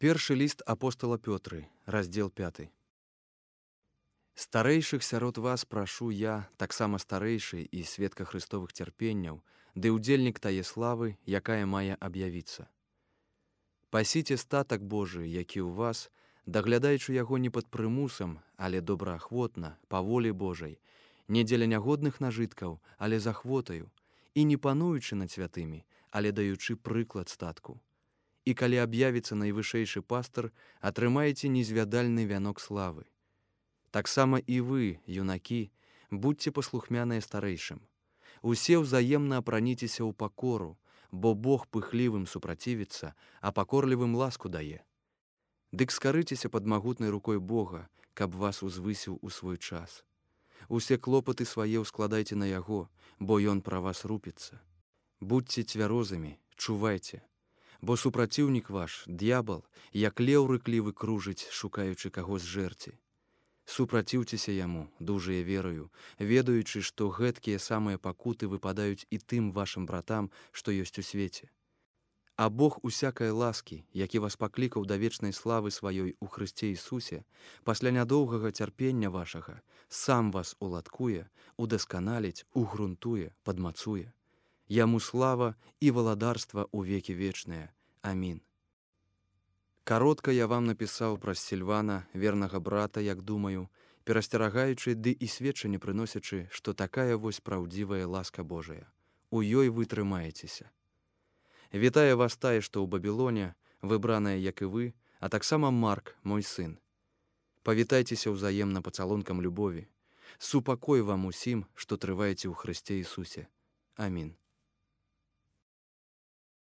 Першы ліст апостала Пётры, раздзел 5. Старэйшых сярод вас прашу я, таксама старэйшы і сведка Христовых цярпенняў, ды ўдзельнік тае славы, якая мае аб'явіцца. Пасіце статак Божы, які ў вас, даглядаючы яго не пад прымусам, але добраахвотна, па волі Божай, не дзеля нягодных нажыткаў, але з ахвотаю, і не пануючы над святымі, але даючы прыклад статку. І калі аб'явіцца найвышэйшы пастар, атрымаеце незвядальны вянок славы. Таксама і вы, юнакі, будьце паслухмяныя старэйшым. Усе ўзаемна апраніцеся ў пакору, бо Бог пыхлівым супрацівіцца, а пакорлівым ласку дае. Дык скарыцеся пад магутнай рукой Бога, каб вас узвысіў у свой час. Усе клопаты свае ўскладайце на яго, бо ён пра вас рупіцца. Будьце цвярозымі, чувайце. Бо супраціўнік ваш, д'ябал, як леў рыклівы кружыць, шукаючы каго зжэрці. Супраціўцеся яму, дужыя верою, ведаючы, што гэткія самыя пакуты выпадаюць і тым вашым братам, што ёсць у свеце. А Бог усякай ласкі, які вас паклікаў да вечнай славы сваёй у Хрысце Ісусе, пасля нядоўгага цярпення вашага, сам вас уладкуе, удасканаліць, угрунтуе, падмацуе. Яму слава і валадарства ў векі вечныя. Амін. Каротка я вам напісаў праз Сільвана, вернага брата, як думаю, перасцерагаючы ды і сведчанне прыносячы, што такая вось праўдзівая ласка Божая. У ёй вы трымаецеся. Вітае вас тае, што ў Бабілоне, выбраная, як і вы, а таксама Марк, мой сын. Павітайцеся ўзаемна пацалункам любові. Супакой вам усім, што трываеце ў Хрысце Ісусе. Амін.